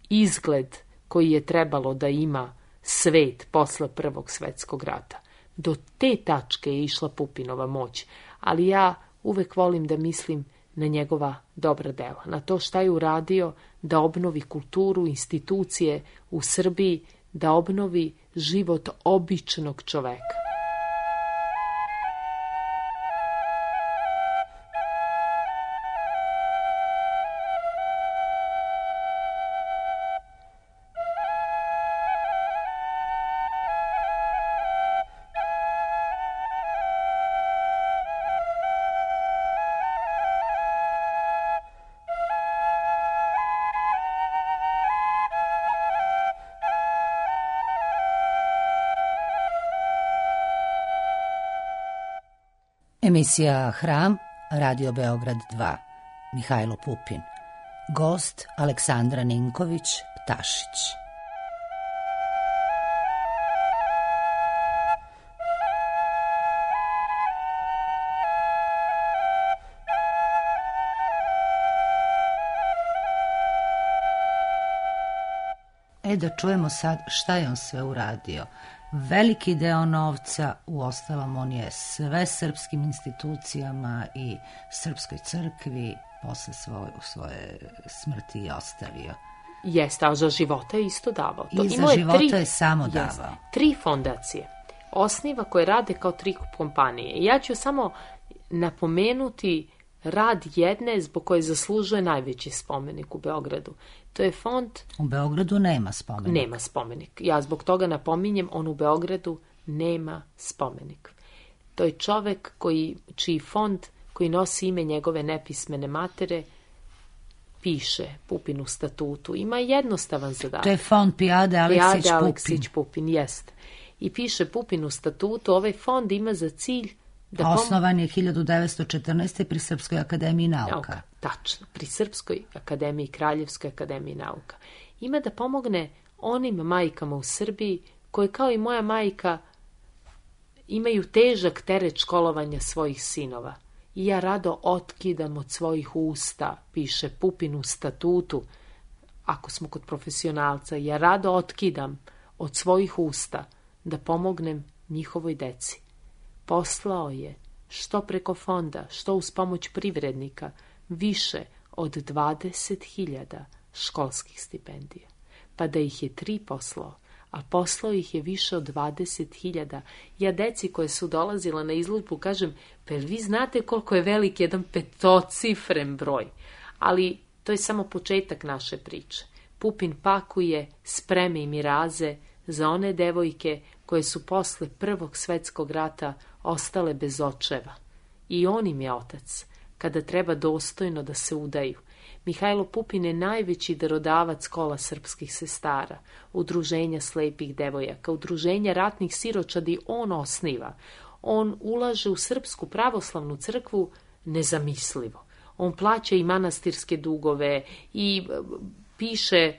izgled koji je trebalo da ima svet posle Prvog svetskog rata. Do te tačke je išla Pupinova moć, ali ja uvek volim da mislim na njegova dobra dela, na to šta je uradio da obnovi kulturu, institucije u Srbiji, da obnovi život običnog čoveka.
Emisija Hram, Radio Beograd dva, Mihajlo Pupin. Gost Aleksandra Ninković-Ptašić. E da čujemo sad šta je on sve uradio. Veliki deo novca, uostalom on je sve srpskim institucijama i srpskoj crkvi posle svoje, svoje smrti i ostavio.
Jeste, a za života je isto davao. To
I za života tri, je samo davao. Jest,
tri fondacije osniva koje rade kao tri kompanije. Ja ću samo napomenuti rad jedne zbog koje zaslužuje najveći spomenik u Beogradu. To je fond...
U Beogradu nema spomenik.
Nema spomenik. Ja zbog toga napominjem, on u Beogradu nema spomenik. To je čovek koji, čiji fond, koji nosi ime njegove nepismene matere, piše Pupin u statutu. Ima jednostavan zadatak.
To je fond Pijade Aleksić Pupin.
Aleksić Pupin, jest. I piše Pupin u statutu, ovaj fond ima za cilj da pom...
Osnovan je hiljadu devetsto četrnaeste. pri Srpskoj akademiji nauka.
nauka. Tačno, pri Srpskoj akademiji, Kraljevskoj akademiji nauka. Ima da pomogne onim majkama u Srbiji koje kao i moja majka imaju težak teret školovanja svojih sinova. I ja rado otkidam od svojih usta, piše Pupin u statutu, ako smo kod profesionalca, ja rado otkidam od svojih usta da pomognem njihovoj deci. Poslao je, što preko fonda, što uz pomoć privrednika, više od dvadeset hiljada školskih stipendija. Pa da ih je tri poslao, a poslao ih je više od dvadeset hiljada. Ja deci koje su dolazila na izložbu kažem, pa vi znate koliko je velik jedan petocifren broj. Ali to je samo početak naše priče. Pupin pakuje spreme i miraze za one devojke koje su posle Prvog svetskog rata ostale bez očeva. I on im je otac, kada treba dostojno da se udaju. Mihajlo Pupin je najveći darodavac kola srpskih sestara, udruženja slepih devojaka, udruženja ratnih siročadi on osniva. On ulaže u Srpsku pravoslavnu crkvu nezamislivo. On plaća i manastirske dugove i piše,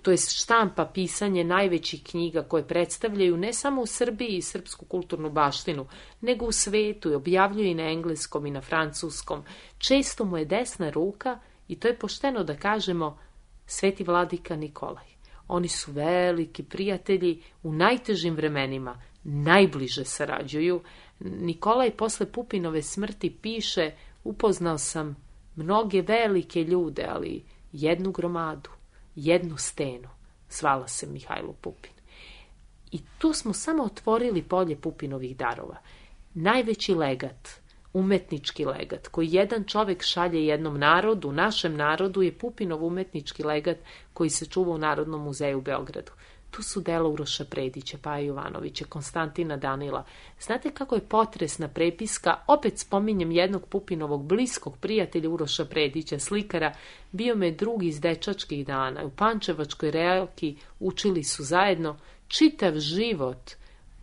to je štampa pisanje najvećih knjiga koje predstavljaju ne samo u Srbiji i srpsku kulturnu baštinu, nego u svetu i objavljuje i na engleskom i na francuskom. Često mu je desna ruka i to je pošteno da kažemo Sveti vladika Nikolaj. Oni su veliki prijatelji u najtežim vremenima, najbliže sarađuju. Nikolaj posle Pupinove smrti piše, upoznao sam mnoge velike ljude, ali jednu gromadu, jednu stenu, zvala se Mihajlo Pupin. I tu smo samo otvorili polje Pupinovih darova. Najveći legat, umetnički legat, koji jedan čovek šalje jednom narodu, našem narodu, je Pupinov umetnički legat koji se čuva u Narodnom muzeju u Beogradu. Tu su dela Uroša Predića, Paje Jovanovića, Konstantina Danila. Znate kako je potresna prepiska, opet spominjem jednog Pupinovog bliskog prijatelja Uroša Predića, slikara, bio me drug iz dečačkih dana. U Pančevačkoj Realki učili su zajedno, čitav život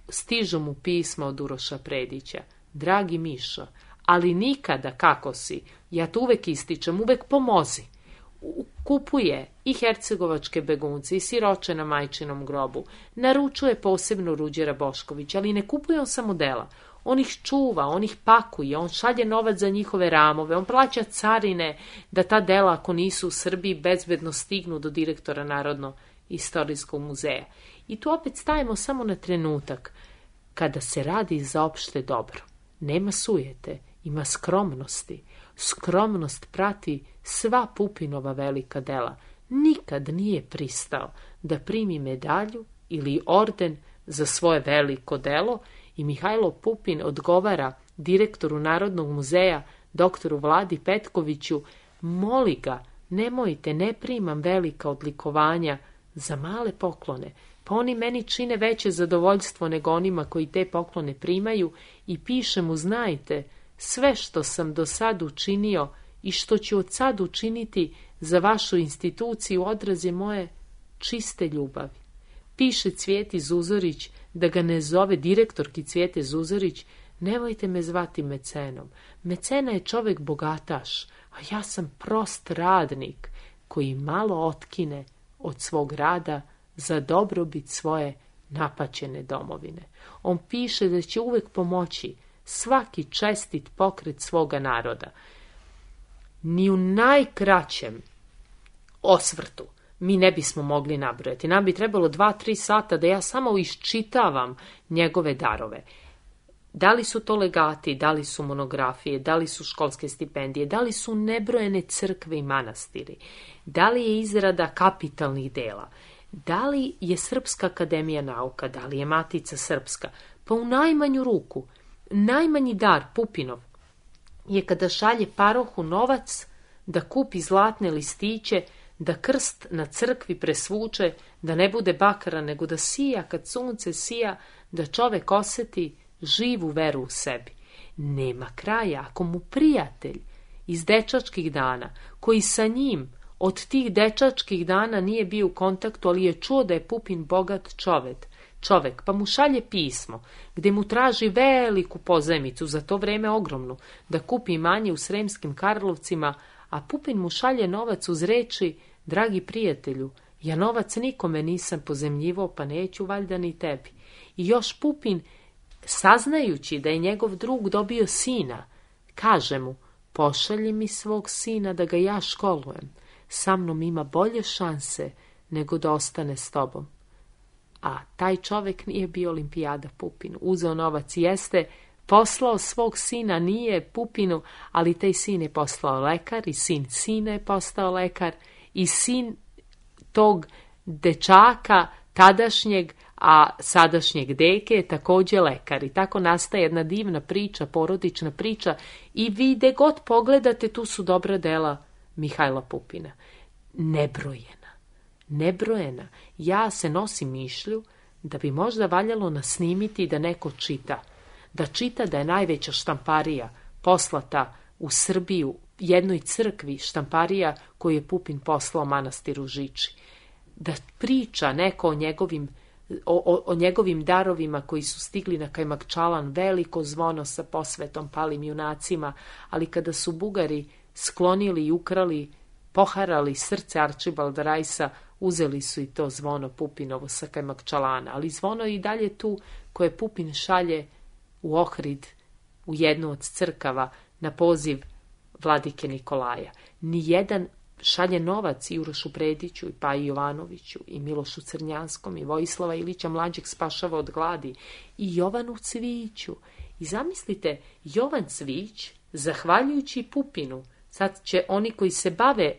stižu mu pisma od Uroša Predića. Dragi Mišo, ali nikada kako si, ja to uvek ističem, uvek pomozi. Kupuje i hercegovačke begunce i siroče na majčinom grobu, naručuje posebno Ruđera Boškovića, ali ne kupuje on samo dela. On ih čuva, on ih pakuje, on šalje novac za njihove ramove, on plaća carine da ta dela, ako nisu u Srbiji, bezbedno stignu do direktora Narodno-istorijskog muzeja. I tu opet stajemo samo na trenutak. Kada se radi za opšte dobro, nema sujete, ima skromnosti. Skromnost prati sva Pupinova velika dela. Nikad nije pristao da primi medalju ili orden za svoje veliko delo i Mihajlo Pupin odgovara direktoru Narodnog muzeja, doktoru Vladi Petkoviću, moli ga, nemojte, ne primam velika odlikovanja za male poklone, pa oni meni čine veće zadovoljstvo nego onima koji te poklone primaju i piše mu, znajte, sve što sam do sad učinio i što ću od sad učiniti za vašu instituciju odraz je moje čiste ljubavi. Piše Cvjeti Zuzorić da ga ne zove direktorki Cvjete Zuzorić, nemojte me zvati mecenom. Mecena je čovek bogataš, a ja sam prost radnik koji malo otkine od svog rada za dobrobit svoje napaćene domovine. On piše da će uvek pomoći svaki čestit pokret svoga naroda. Ni u najkraćem osvrtu mi ne bismo mogli nabrojati. Nam bi trebalo dva, tri sata da ja samo iščitavam njegove darove. Da li su to legati, da li su monografije, da li su školske stipendije, da li su nebrojene crkve i manastiri, da li je izrada kapitalnih dela, da li je Srpska akademija nauka, da li je Matica Srpska, pa u najmanju ruku, najmanji dar Pupinov je kada šalje parohu novac da kupi zlatne listiće, da krst na crkvi presvuče, da ne bude bakara, nego da sija kad sunce sija, da čovek oseti živu veru u sebi. Nema kraja ako mu prijatelj iz dečačkih dana, koji sa njim od tih dečačkih dana nije bio u kontaktu, ali je čuo da je Pupin bogat čovek, čovek, pa mu šalje pismo, gde mu traži veliku pozajmicu, za to vreme ogromnu, da kupi imanje u Sremskim Karlovcima, a Pupin mu šalje novac uz reči, dragi prijatelju, ja novac nikome nisam pozemljivao, pa neću valjda ni tebi. I još Pupin, saznajući da je njegov drug dobio sina, kaže mu, pošalji mi svog sina da ga ja školujem, sa mnom ima bolje šanse nego da ostane s tobom. A taj čovek nije bio Olimpijada Pupinu. Uzeo novac, jeste, poslao svog sina, nije Pupinu, ali taj sin je poslao lekar i sin sina je postao lekar i sin tog dečaka tadašnjeg, a sadašnjeg deke je također lekar. I tako nastaje jedna divna priča, porodična priča i vi gde god pogledate, tu su dobra dela Mihajla Pupina. Nebrojena. Nebrojena. Ja se nosim mišlju da bi možda valjalo nasnimiti da neko čita. Da čita da je najveća štamparija poslata u Srbiju jednoj crkvi, štamparija koju je Pupin poslao manastiru Žiči. Da priča neko o njegovim, o, o, o njegovim darovima koji su stigli na Kajmakčalan, veliko zvono sa posvetom palim junacima, ali kada su Bugari sklonili i ukrali, poharali srce Arčibalda Rajsa, uzeli su i to zvono Pupinovo sa Kajmakčalana, ali zvono je i dalje tu koje Pupin šalje u Ohrid, u jednu od crkava, na poziv vladike Nikolaja. Nijedan šalje novac i Urošu Prediću, i Paji Jovanoviću, i Milošu Crnjanskom, i Vojislava Ilića Mlađeg spašava od gladi, i Jovanu Cviću. I zamislite, Jovan Cvić, zahvaljujući Pupinu, sad će oni koji se bave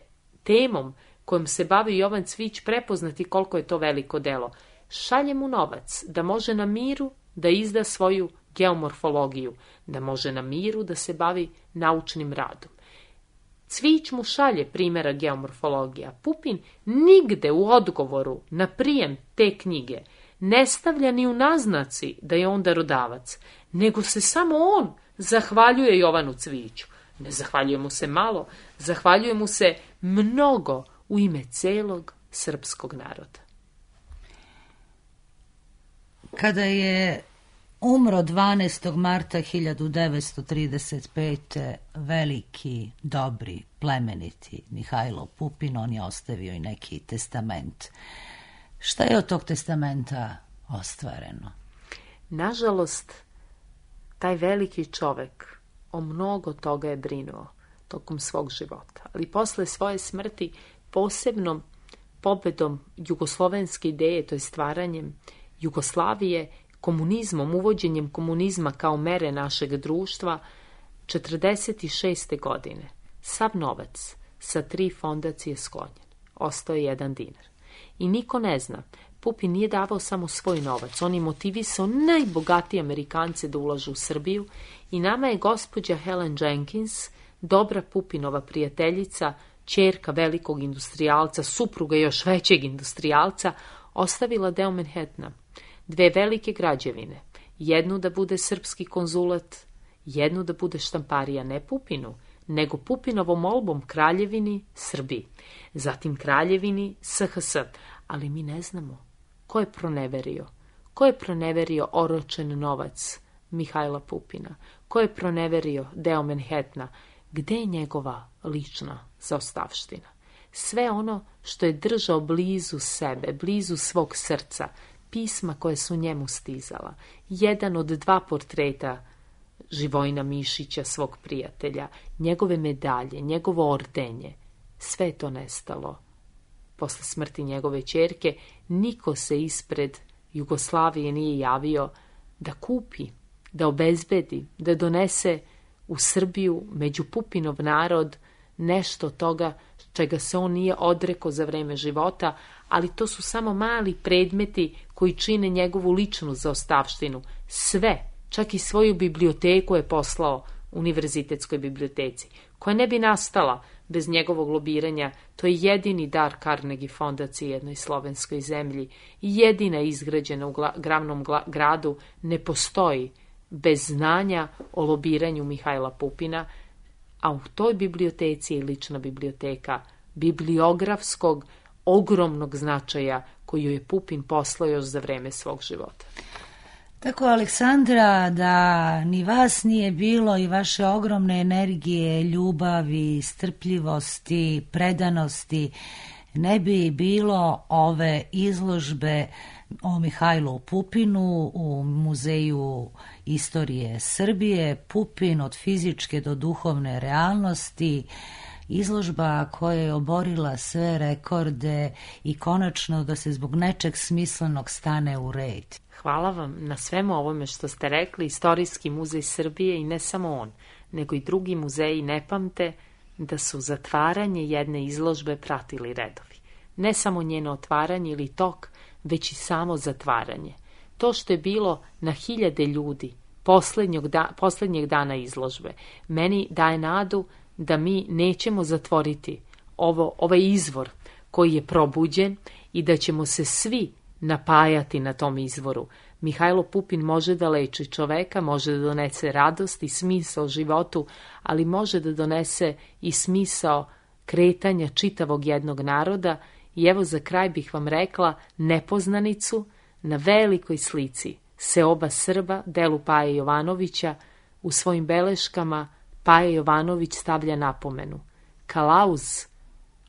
temom kojom se bavi Jovan Cvić prepoznati koliko je to veliko delo. Šalje mu novac da može na miru da izda svoju geomorfologiju, da može na miru da se bavi naučnim radom. Cvić mu šalje primjera geomorfologija. Pupin nigde u odgovoru na prijem te knjige ne stavlja ni u naznaci da je on darodavac, nego se samo on zahvaljuje Jovanu Cviću. Ne zahvaljuje mu se malo, zahvaljuje mu se mnogo u ime celog srpskog naroda.
Kada je umro dvanaestog marta hiljadu devetsto trideset pete veliki, dobri, plemeniti Mihajlo Pupin, on je ostavio i neki testament. Šta je od tog testamenta ostvareno?
Nažalost, Taj veliki čovek o mnogo toga je brinuo tokom svog života. Ali posle svoje smrti, posebnom pobedom jugoslovenske ideje, to je stvaranjem Jugoslavije, komunizmom, uvođenjem komunizma kao mere našeg društva, četrdeset šeste. godine sav novac sa tri fondacije sklonjen. Ostao je jedan dinar. I niko ne zna, Pupin nije davao samo svoj novac, on je motivisao najbogatije Amerikance da ulažu u Srbiju i nama je gospođa Helen Jenkins, dobra Pupinova prijateljica, ćerka velikog industrijalca, supruga još većeg industrijalca, ostavila deo Manhattana, dve velike građevine, jednu da bude srpski konzulat, jednu da bude štamparija ne Pupinu, nego Pupinovom molbom Kraljevini Srbiji, zatim Kraljevini S H S, ali mi ne znamo ko je proneverio, ko je proneverio oročen novac Mihajla Pupina, ko je proneverio deo Manhattana, gde je njegova lična zaostavština. Sve ono što je držao blizu sebe, blizu svog srca, pisma koje su njemu stizala, jedan od dva portreta Živojina Mišića, svog prijatelja, njegove medalje, njegovo ordenje, sve je to nestalo. Posle smrti njegove ćerke, niko se ispred Jugoslavije nije javio da kupi, da obezbedi, da donese u Srbiju, među Pupinov narod, nešto toga čega se on nije odrekao za vreme života, ali to su samo mali predmeti koji čine njegovu ličnu zaostavštinu. Sve, čak i svoju biblioteku je poslao Univerzitetskoj biblioteci, koja ne bi nastala bez njegovog lobiranja. To je jedini dar Carnegie fondaciji jednoj slovenskoj zemlji, jedina izgrađena u glavnom gradu, ne postoji bez znanja o lobiranju Mihajla Pupina, a u toj biblioteci je lična biblioteka bibliografskog ogromnog značaja koju je Pupin poslao još za vreme svog života.
Tako, Aleksandra, da ni vas nije bilo i vaše ogromne energije, ljubavi, strpljivosti, predanosti, ne bi bilo ove izložbe o Mihajlu Pupinu u Muzeju istorije Srbije, Pupin od fizičke do duhovne realnosti, izložba koja je oborila sve rekorde i konačno da se zbog nečeg smislenog stane u red.
Hvala vam na svemu ovome što ste rekli. Istorijski muzej Srbije i ne samo on, nego i drugi muzeji ne pamte da su zatvaranje jedne izložbe pratili redovi. Ne samo njeno otvaranje ili tok, već i samo zatvaranje. To što je bilo na hiljade ljudi posljednjeg, da, posljednjeg dana izložbe, meni daje nadu da mi nećemo zatvoriti ovo, ovaj izvor koji je probuđen i da ćemo se svi napajati na tom izvoru. Mihajlo Pupin može da leči čoveka, može da donese radost i smisao životu, ali može da donese i smisao kretanja čitavog jednog naroda. I evo za kraj bih vam rekla nepoznanicu na velikoj slici Seoba Srba, delu Paje Jovanovića. U svojim beleškama Paja Jovanović stavlja napomenu: Kalauz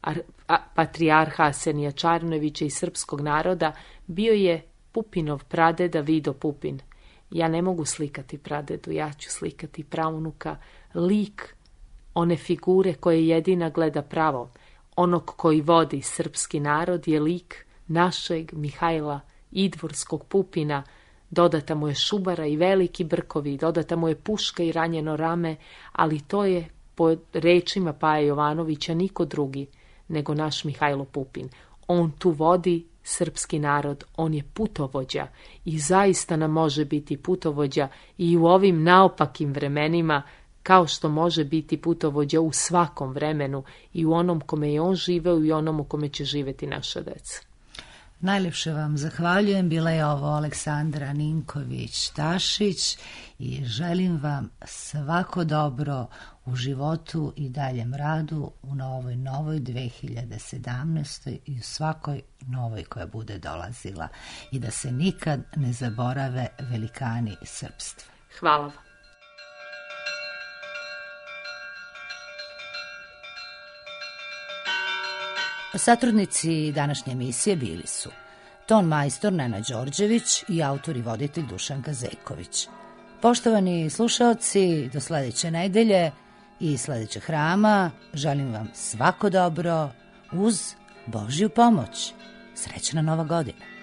ar, a, patrijarha Arsenija Čarnojevića i srpskog naroda bio je Pupinov pradeda Vido Pupin. Ja ne mogu slikati pradedu, ja ću slikati praunuka, lik one figure koje jedina gleda pravo. Onog koji vodi srpski narod je lik našeg Mihajla Idvorskog Pupina. Dodata mu je šubara i veliki brkovi, dodata mu je puška i ranjeno rame, ali to je, po rečima Paje Jovanovića, niko drugi nego naš Mihajlo Pupin. On tu vodi srpski narod, on je putovođa i zaista nam može biti putovođa i u ovim naopakim vremenima, kao što može biti putovođa u svakom vremenu, i u onom kome je on živeo i onom u kome će živeti naša deca.
Najljepše vam zahvaljujem. Bila je ovo Aleksandra Ninković-Tašić i želim vam svako dobro u životu i daljem radu u novoj, novoj dve hiljade sedamnaestoj i u svakoj novoj koja bude dolazila, i da se nikad ne zaborave velikani srpstva.
Hvala vam.
Satrudnici današnje emisije bili su ton majstor Nena Đorđević i autor i voditelj Dušan Gazeković, Poštovani slušaoci, do sledeće nedelje i sledećeg hrama želim vam svako dobro uz Božju pomoć. Srećna Nova godina!